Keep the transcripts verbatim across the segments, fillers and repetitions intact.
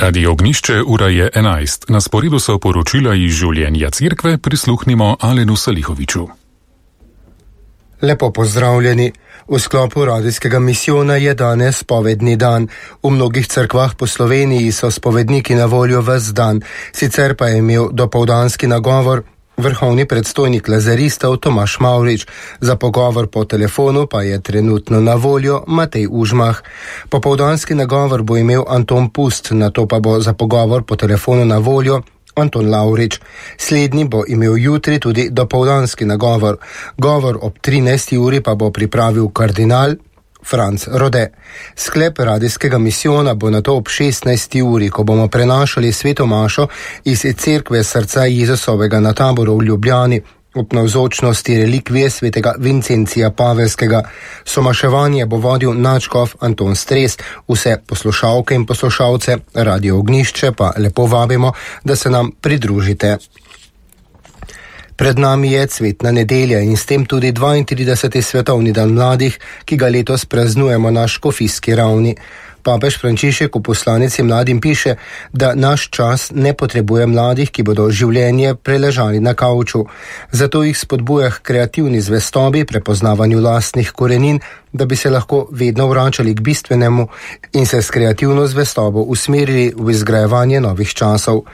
Radio Ognišče, ura je enajst. Na sporedu so poročila iz življenja cerkve, prisluhnimo Alenu Salihoviču. Lepo pozdravljeni. V sklopu radijskega misijona je danes spovedni dan. V mnogih cerkvah po Sloveniji so spovedniki na voljo ves dan, sicer pa je imel dopoldanski nagovor vrhovni predstojnik lazaristov Tomaž Mavrič. Za pogovor po telefonu pa je trenutno na voljo Matej Užmah. Popoldanski nagovor bo imel Anton Pust, nato pa bo za pogovor po telefonu na voljo Anton Lavrič. Slednji bo imel jutri tudi dopoldanski nagovor. Govor ob trinajsti uri pa bo pripravil kardinal Franc Rode. Sklep radijskega misijona bo nato ob šestnajsti uri, ko bomo prenašali sveto mašo iz cerkve srca Jezusovega na Taboru v Ljubljani ob navzočnosti relikvije svetega Vincencija Pavelskega. Somaševanje bo vodil nadškof Anton Stres. Vse poslušalke in poslušalce Radio Ognišče pa lepo vabimo, da se nam pridružite. Pred nami je cvetna nedelja in s tem tudi dvaintrideseti svetovni dan mladih, ki ga letos praznujemo na škofijski ravni. Papež Frančišek v poslanici mladim piše, da naš čas ne potrebuje mladih, ki bodo življenje preležali na kavču. Zato jih spodbuja k kreativni zvestobi, prepoznavanju lastnih korenin, da bi se lahko vedno vračali k bistvenemu in se s kreativno zvestobo usmerili v izgrajevanje novih časov.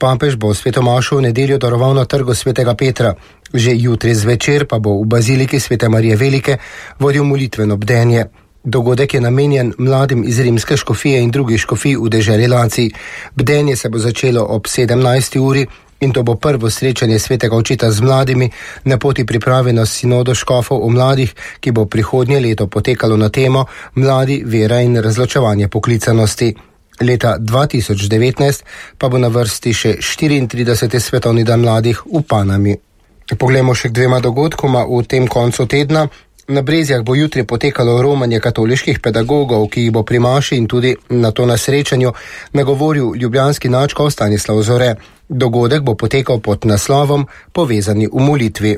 Papež bo sveto mašo v nedeljo daroval na trgu svetega Petra. Že jutri zvečer pa bo v baziliki svete Marije Velike vodil molitveno bdenje. Dogodek je namenjen mladim iz rimske škofije in drugih škofij v deželi Lacij. Bdenje se bo začelo ob sedemnajsti uri in to bo prvo srečanje svetega očeta z mladimi na poti priprave na sinodo škofov o mladih, ki bo prihodnje leto potekalo na temo Mladi, vera in razločevanje poklicanosti. Leta dva tisoč devetnajst pa bo na vrsti še štiriintrideseti svetovni dan mladih v Panami. Poglejmo še k dvema dogodkoma v tem koncu tedna. Na Brezjah bo jutri potekalo romanje katoliških pedagogov, ki jih bo pri maši in tudi na to na srečanju nagovoril ljubljanski nadškof Stanislav Zore. Dogodek bo potekal pod naslovom Povezani v molitvi.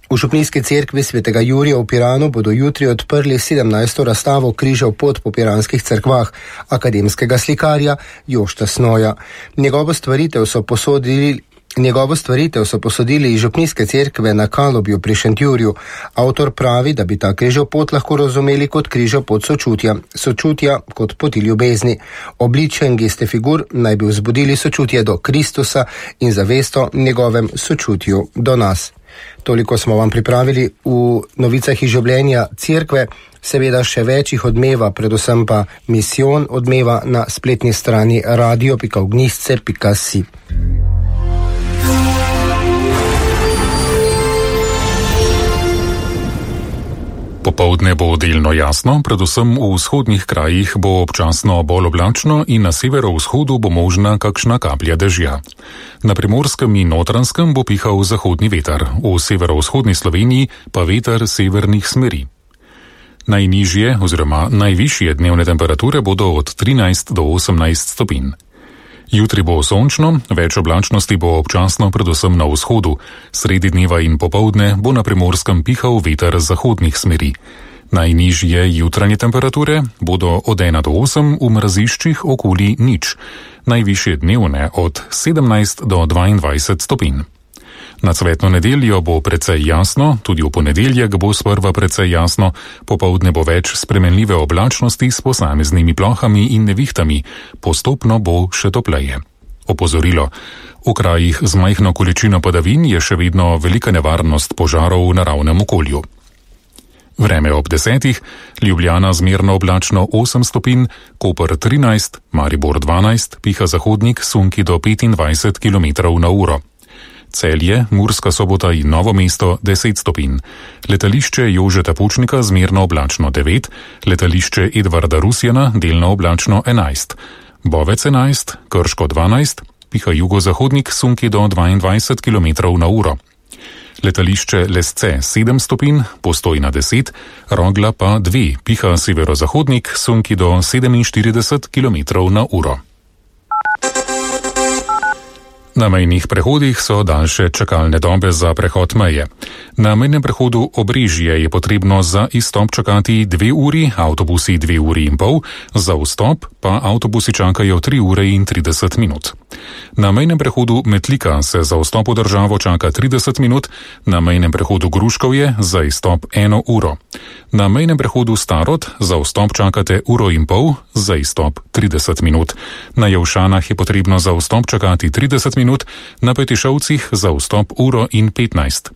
V župnijski cerkvi svetega Jurija v Piranu bodo jutri odprli sedemnajsto razstavo križev pot po piranskih cerkvah akademskega slikarja Jošta Snoja. Njegovo stvaritev so posodili Njegovo stvaritev so posodili iz župnijske cerkve na Kalobju pri Šentjurju. Avtor pravi, da bi ta križev pot lahko razumeli kot križev pot sočutja, sočutja kot poti ljubezni. Obličje in geste figur naj bi vzbudili sočutje do Kristusa in zavesto njegovem sočutju do nas. Toliko smo vam pripravili v novicah iz življenja cerkve, seveda še več jih odmeva, predvsem pa misijon odmeva na spletni strani radio pika ognišče pika si. Popoldne bo delno jasno, predvsem v vzhodnih krajih bo občasno bolj oblačno in na severovzhodu bo možna kakšna kaplja dežja. Na Primorskem in Notranjskem bo pihal zahodni veter, v severovzhodni Sloveniji pa veter severnih smeri. Najnižje oziroma najvišje dnevne temperature bodo od trinajst do osemnajst stopinj. Jutri bo sončno, več oblačnosti bo občasno predvsem na vzhodu, sredi dneva in popoldne bo na Primorskem pihal veter zahodnih smeri. Najnižje jutranje temperature bodo od ena do osem, v mraziščih okoli nič, najvišje dnevne od sedemnajst do dvaindvajset stopinj. Na cvetno nedeljo bo precej jasno, tudi v ponedeljek bo sprva precej jasno, popoldne bo več spremenljive oblačnosti s posameznimi plohami in nevihtami, postopno bo še topleje. Opozorilo. V krajih z majhno količino padavin je še vedno velika nevarnost požarov v naravnem okolju. Vreme ob desetih, Ljubljana zmerno oblačno osem stopinj, Koper trinajst, Maribor dvanajst, piha zahodnik sunki do petindvajset kilometrov na uro. Celje, Murska Sobota in Novo mesto deset stopinj. Letališče Jožeta Pučnika zmerno oblačno devet, letališče Edvarda Rusjana delno oblačno enajst. Bovec enajst, Krško dvanajst, piha jugozahodnik sunki do dvaindvajset kilometrov na uro. Letališče Lesce sedem stopinj, Postojna deset, Rogla pa dve, piha severozahodnik sunki do sedeminštirideset kilometrov na uro. Na mejnih prehodih so daljše čakalne dobe za prehod meje. Na mejnem prehodu Obrežje je potrebno za izstop čakati dve uri, avtobusi dve uri in pol, za vstop pa avtobusi čakajo tri ure in trideset minut. Na mejnem prehodu Metlika se za vstop v državo čaka trideset minut, na mejnem prehodu Gruškovje za izstop eno uro. Na mejnem prehodu Starod za vstop čakate uro in pol, za izstop trideset minut. Na Javšanah je potrebno za vstop čakati trideset minut, na Petišovcih za vstop uro in petnajst.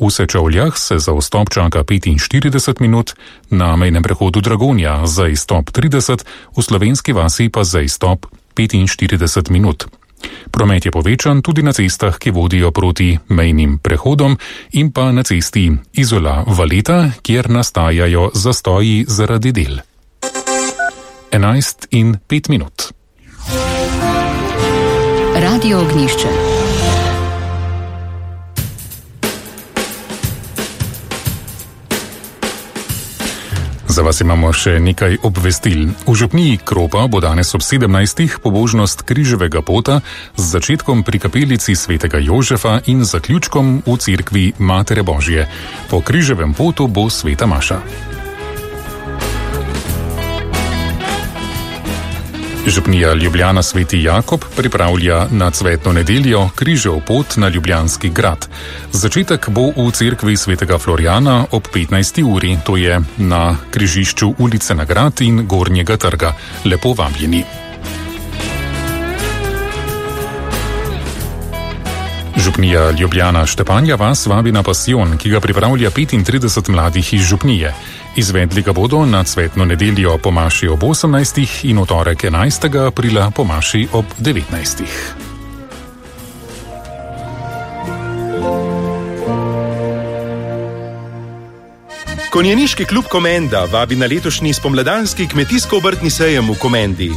V Sečovljah se za vstop čaka petinštirideset minut, na mejnem prehodu Dragonja za izstop trideset, v Slovenski vasi pa za izstop petinštirideset minut. Promet je povečan tudi na cestah, ki vodijo proti mejnim prehodom in pa na cesti Izola-Valeta, kjer nastajajo zastoji zaradi del. enajst in pet minut. Radio Ognjišče. Za vas imamo še nekaj obvestil. V župniji Kropa bo danes ob sedemnajstih pobožnost križevega pota z začetkom pri kapelici svetega Jožefa in zaključkom v cerkvi Matere Božje. Po križevem potu bo sveta maša. Župnija Ljubljana Sveti Jakob pripravlja na cvetno nedeljo križev pot na Ljubljanski grad. Začetek bo v cerkvi svetega Florjana ob petnajsti uri, to je na križišču ulice na Grad in Gornjega trga. Lepo vabljeni. Župnija Ljubljana Štepanja vas vabi na pasijon, ki ga pripravlja petintrideset mladih iz župnije. Izvedli ga bodo na cvetno nedeljo po maši ob osemnajstih in v torek enajstega aprila po maši ob devetnajstih. Konjeniški klub Komenda vabi na letošnji spomladanski kmetijsko-obrtni sejem v Komendi.